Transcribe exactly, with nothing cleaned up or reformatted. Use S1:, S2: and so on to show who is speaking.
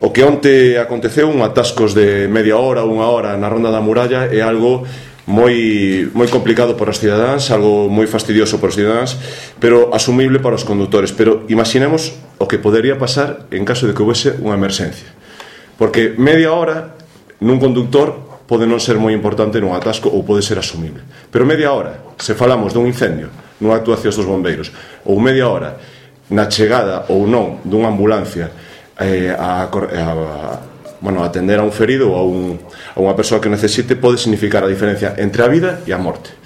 S1: O que onte aconteceu, un atascos de media hora, unha hora na Ronda da Muralla, é algo moi moi complicado para os cidadáns, algo moi fastidioso para os cidadáns, pero asumible para os condutores. Pero imaginemos o que podería pasar en caso de que houvese unha emerxencia. Porque media hora nun conductor pode non ser moi importante nun atasco ou pode ser asumible. Pero media hora, se falamos dun incendio, nunha actuación dos bombeiros, ou media hora na chegada ou non dunha ambulancia eh, a, a, bueno, a atender a un ferido ou a, un, a unha persoa que necesite, pode significar a diferencia entre a vida e a morte.